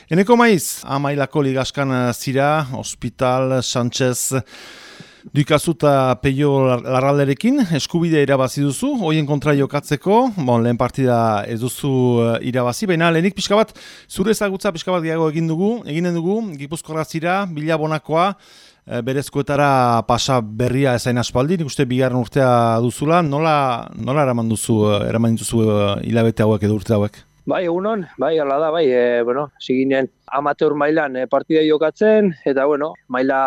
Eneko maiz, amailako ligaskan zira, Hospital, Sánchez, Duikazu eta Peio Larralderekin, eskubidea irabazi duzu, hoien kontra jokatzeko, lehen partida ez duzu irabazi, baina lehenik pixka bat, zure ezagutza pixka bat gehiago eginen dugu, Gipuzkoarra zira, Bilabonakoa, berezkoetara pasa berria ezain aspaldi, nik uste bigarren urtea duzula, nola eraman dituzu hilabete hauek edo urte hauek? Bai, egunon, bai, hala da, bai, ziginen amateur mailan partida jokatzen, eta, maila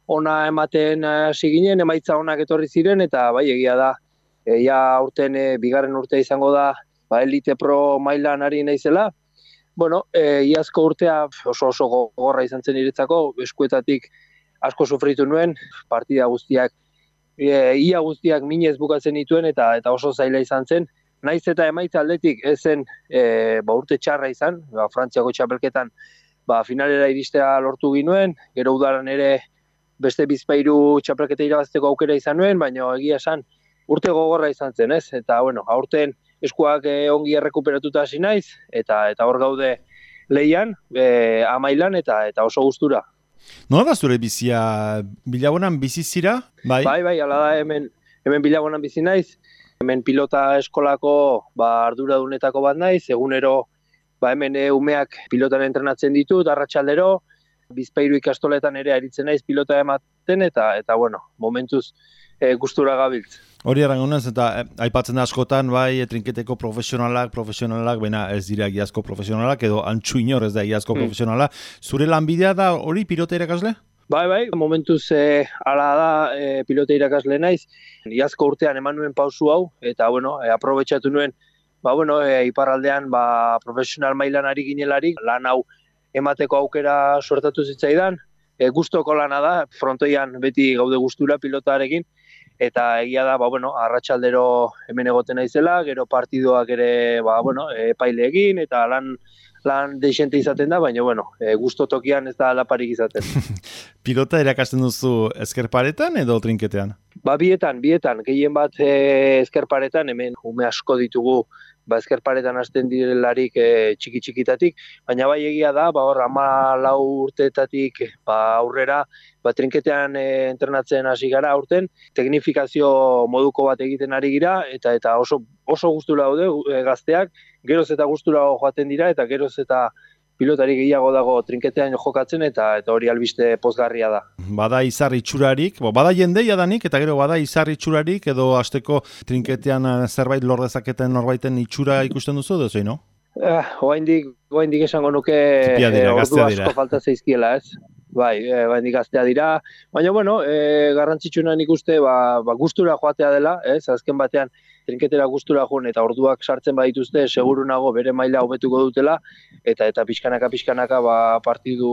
ona ematen ziginen, emaitza onak etorri ziren, eta, bai, egia da, aurten bigarren urtea izango da, elite pro mailan ari naizela. Iazko urtea oso gogorra izan zen niretzako, eskuetatik asko sufritu nuen, partida guztiak, ia guztiak minez bukatzen dituen, eta oso zaila izan zen. Naiz eta emaitza aldetik ezen urte txarra izan, Frantziako txapelketan finalera iristea lortu ginuen, gero udaran ere beste bizpahiru txapelketa irabazteko aukera izan nuen, baina egia esan urte gogorra izan zen, ez? Eta aurten eskuak ongi errekuperatuta hasi naiz, eta hor gaude lehian, amailan eta oso gustura. Nola da zure bizia? Bilabonan bizi zira? Bai, hala da, hemen Bilabonan bizi naiz. Hemen pilota eskolako arduradunetako bat naiz, egunero hemen umeak pilotan entrenatzen ditut, arratsaldero, bizpahiru ikastoletan ere aritzen naiz pilota ematen, eta momentuz gustura gabiltz. Hori errangunez, eta aipatzen da askotan, trinketeko profesionalak, baina ez dira egiazko profesionalak, edo antxu inor ez da egiazko profesionala. Zure lanbidea da hori pilota irakasle? Bai, momentuz ala da pilote irakasle naiz. Iazko urtean eman nuen pausu hau, eta aprobetxatu nuen, iparraldean profesional mailan ari ginelarik, lan hau emateko aukera suertatu zitzaidan. Gustoko lana da, frontoian beti gaude gustura pilotarekin, eta egia da, arratsaldero hemen egoten naizela, gero partidoak ere, epaileekin, eta lan deixente izaten da, baina, gusto tokian ez da alaparik izaten. Pilota irakasten duzu ezkerparetan edo trinketean? Bietan, gehien bat ezkerparetan, hemen ume asko ditugu, ezkerparetan hasten direlarik txiki-txikitatik, baina egia da, 14 urteetatik aurrera, trinketean entrenatzen hasi gara aurten, teknifikazio moduko bat egiten ari gira, eta oso gustura daude gazteak, geroz eta gustura joaten dira, eta geroz eta pilotari gehiago dago trinketean jokatzen, eta hori albiste pozgarria da. Bada izar itxurarik, bada jendeia danik, eta gero bada izar itxurarik, edo hasteko trinketean zerbait lor dezaketen norbaiten itxura ikusten duzu, edo zein, no? Oaindik esango nuke ordu asko falta zaizkiela, ez? Bai, gaztea dira, baina, garrantzitsuna nik uste, gustura joatea dela, ez? Azken batean, trinketera gustura joan eta orduak sartzen badituzte, seguru nago bere maila hobetuko dutela, eta pixkanaka partidu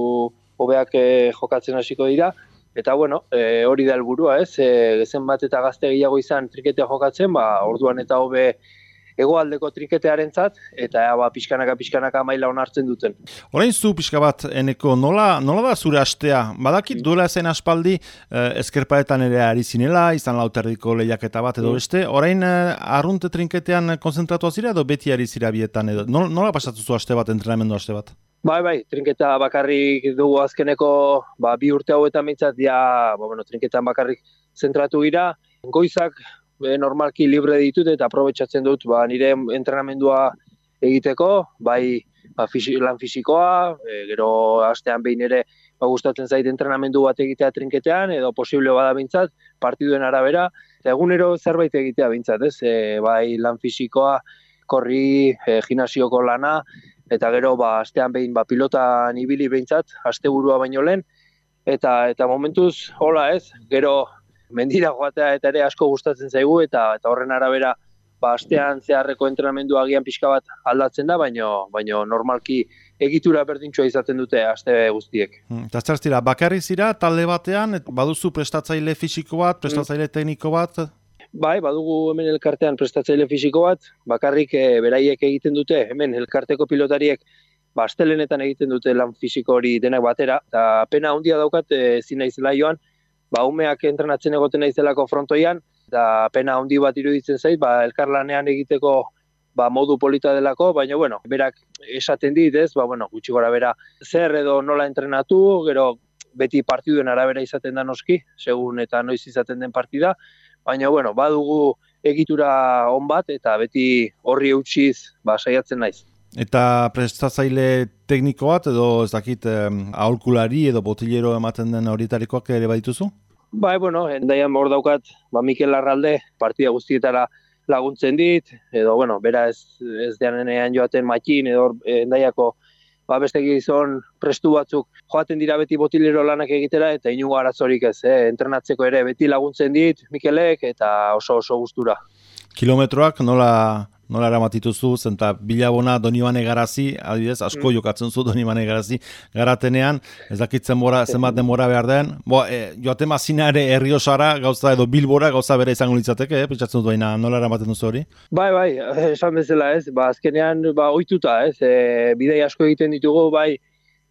hobeak jokatzen hasiko dira, eta, hori da helburua, ez? Gezen bat eta gazte gehiago izan trinketea jokatzen, orduan eta hobe hegoaldeko trinketearentzat, eta pixkanaka maila onartzen duten. Orain zu pixka bat, Eneko, nola da zure astea? Badakit duela zen aspaldi ezkerparetan ere ari zinela, izan lauterdiko lehiaketa bat edo beste, orain arrunte trinketean konzentratu azira edo beti ari zira bietan edo? Nola pasatu zu aste bat, entrenamendu aste bat? Bai, trinketa bakarrik dugu azkeneko 2 urte hauetan mintzat, trinketan bakarrik zentratu gira, goizak normalki libre ditut eta aprobetxatzen dut nire entrenamendua egiteko, lan fisikoa, gero astean behin ere gustatzen zait entrenamendu bat egitea trinketean, edo posible bada bintzat, partiduen arabera, eta egunero zerbait egitea bintzat, ez? Lan fisikoa, korri, gimnasioko lana, eta gero astean behin pilotan ibili bintzat, asteburua baino lehen, eta momentuz, hola ez, gero mendira joatea eta ere asko gustatzen zaigu, eta horren arabera astean zeharreko entrenamendua agian pixka bat aldatzen da, baina normalki egitura berdintxoa izaten dute aste guztiek. Eta zira, bakarrik zira, talde batean, baduzu prestatzaile fisiko bat, prestatzaile tekniko bat? Bai, badugu hemen elkartean prestatzaile fisiko bat, bakarrik beraiek egiten dute, hemen elkarteko pilotariek astelenetan egiten dute lan fisiko hori denak batera, eta pena handia daukat ezin naizela joan, umeak entrenatzen egoten naizelako frontoian, eta pena handi bat iruditzen zait, elkarlanean egiteko modu polita delako, baina bueno, berak esaten dit, ez, gutxi gora bera zer edo nola entrenatu, gero beti partiduen arabera izaten da noski, segun eta noiz izaten den partida, baina bueno, badugu egitura on bat eta beti horri eutsiz saiatzen naiz. Eta prestatzaile tekniko bat edo ez dakit aholkulari edo botilero ematen den horietarikoak ere badituzu? Bai, bueno, endaian hor daukat, Mikel Larralde partida guztietara laguntzen dit, edo, bera ez deanean joaten Matxin, edo endaiako beste gizon prestu batzuk joaten dira beti botilero lanak egitera, eta inungo arazorik ez, entrenatzeko ere beti laguntzen dit Mikelek, eta oso gustura. Kilometroak nola eramatituzu, zenta Bilabona Donibane Garazi, adibidez, asko jokatzen zu Donibane Garazi garatenean, ez dakitzen zenbat denbora behar den, joaten mazina ere Erriosara gauza edo Bilbora gauza bere izango litzateke, pentsatzen dut baina nola eramaten duzu hori? Bai, esan bezala ez, azkenean ohituta ez, bidei asko egiten ditugu, bai,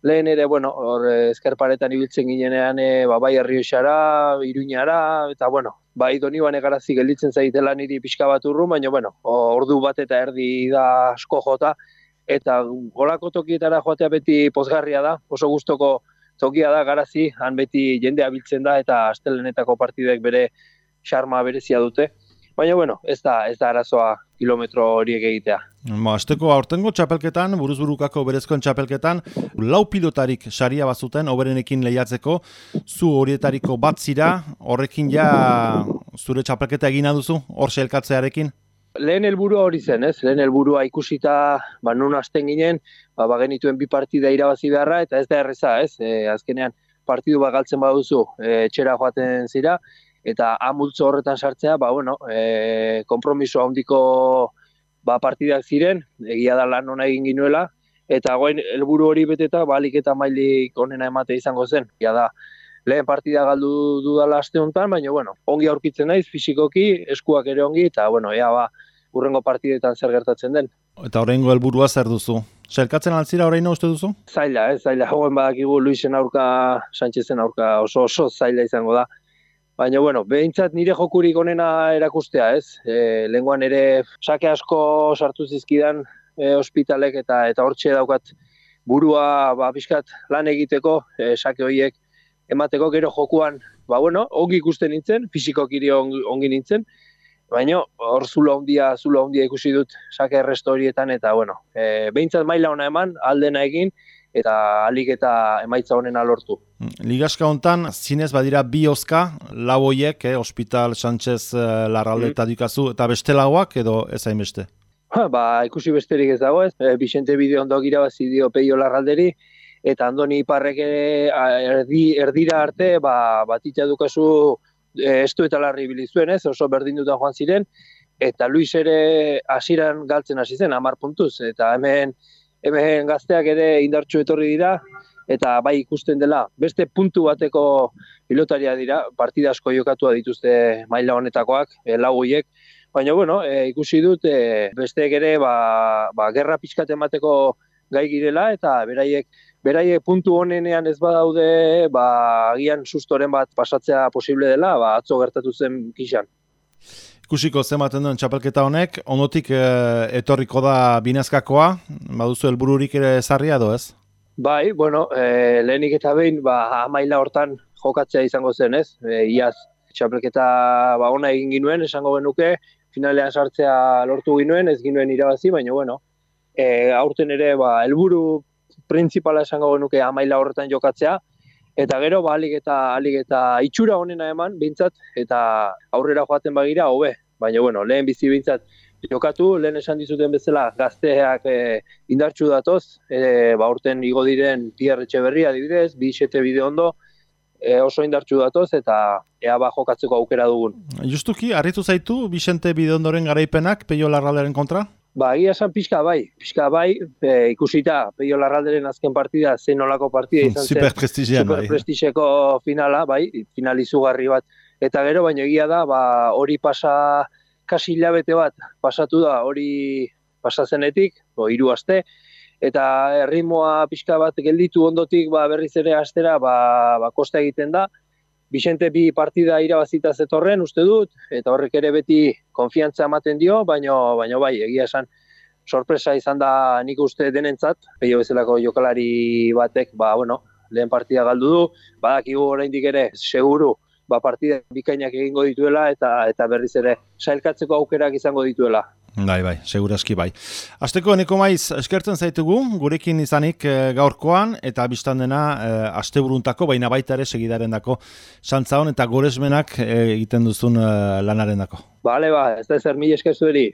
lehen ere, hor ezkerparetan ibiltzen ginenean, bai Erriosara, Iruñara, eta bai Donibane Garazi gelditzen zaitela niri pixka bat urrun, baina ordu bat eta erdi da asko jota, eta golako tokietara joatea beti pozgarria da, oso gustoko tokia da Garazi, han beti jendea biltzen da, eta astelenetako partidek bere xarma berezia dute. Baina, ez da arazoa kilometro horiek egitea. Asteko aurtengo txapelketan, buruzburukako berezkoen txapelketan, 4 pilotarik saria bazuten, oberenekin lehiatzeko, zu horietariko bat zira, horrekin ja zure txapelketa egina duzu, hor elkatzearekin? Lehen helburua hori zen, ez? Lehen helburua ikusita, nun hasten ginen, genituen 2 partida irabazi beharra, eta ez da erreza, ez? Azkenean, partidu bat galtzen baduzu, etxera joaten zira, eta amultzo horretan sartzea, konpromiso handiko partidak ziren, egia da lan ona egin ginuela, eta goen helburu hori beteta, alik eta mailik onena emate izango zen. Egia da, lehen partida galdu dudala aste honetan, baina ongi aurkitzen naiz, fisikoki, eskuak ere ongi, eta urrengo partidetan zer gertatzen den. Eta horrengo helburua zer duzu? Zerkatzen altzira horreino uste duzu? Zaila, hauen badakigu Luisen aurka, Sánchezen aurka oso zaila izango da. Baina, behintzat nire jokurik onena erakustea, ez? Lehengoan ere sake asko sartu zizkidan ospitalek eta hortxe daukat burua pixkat lan egiteko, sake horiek emateko gero jokuan, ongi ikusten nintzen, fisikokiri ongi nintzen, baina hor zulo handia ikusi dut sake erresto horietan, eta behintzat maila ona eman, aldena egin, eta alik eta emaitza honena lortu. Ligaska hontan, zinez badira 2 oska, lau hoiek, Hospital, Sánchez, Larralde eta Dukazu, eta beste lauak edo ez hainbeste? Ikusi besterik ez dago ez, Vicente Bideondo irabazi dio Peio Larralderi, eta Andoni Iparrek erdira arte, Batitza Dukazu estu eta larri bilizuen ez, oso berdinduta joan ziren, eta Luis ere hasieran galtzen hasi zen, 10 puntuz, eta hemen gazteak ere indartsu etorri dira, eta bai ikusten dela, beste puntu bateko pilotaria dira, partida asko jokatua dituzte maila honetakoak, lau horiek, baina ikusi dut besteek ere gerra pixkat emateko gai girela, eta beraiek puntu honenean ez badaude, agian sustoren bat pasatzea posible dela, atzo gertatu zen kixan. Ikusiko zematen duen txapelketa honek, ondotik etorriko da binazkakoa, baduzu helbururik ere zarria edo ez? Bai, lehenik eta behin, maila hortan jokatzea izango zen ez, iaz txapelketa ona egin ginuen, esango genuke, finalean sartzea lortu ginuen, ez ginuen irabazi, baina aurten ere helburu printzipala esango genuke maila horretan jokatzea, eta gero, alik eta itxura honena eman, bintzat, eta aurrera joaten bagira, hobe. Baina, lehen bizi bintzat jokatu, lehen esan dizuten bezala, gazteak indartsu datoz, aurten igo diren Pierre Etxeberria adibidez, Vicente Bideondo, oso indartsu datoz, eta ea jokatzeko aukera dugun. Justuki, harritu zaitu Vicente Bideondoren garaipenak Peio Larralderen kontra? Egia esan pixka bai, ikusita Peio Larralderen azken partida, zein nolako partida izan zen. Superprestigeko finala, final izugarri bat. Eta gero, baina egia da, hori pasa, kasi hilabete bat pasatu da, hori pasazenetik, 3 aste, eta erritmoa pixka bat gelditu ondotik berriz ere astera kosta egiten da. Vicente 2 partida irabazita zetorren, uste dut, eta horrek ere beti konfiantza ematen dio, baina bai, egia esan, sorpresa izan da nik uste denentzat, Peio bezalako jokalari batek, lehen partida galdu du, badakigu oraindik ere seguru partida bikainak egingo dituela eta berriz ere sailkatzeko aukerak izango dituela. Bai, segurazki bai. Asteko Eneko Maiz eskertzen zaitugu, gurekin izanik gaurkoan, eta biztan dena asteburuntako, baina baita ere segidarendako santza hon eta goresmenak egiten duzun lanarendako. Bale, ez da zer mila esker zueri.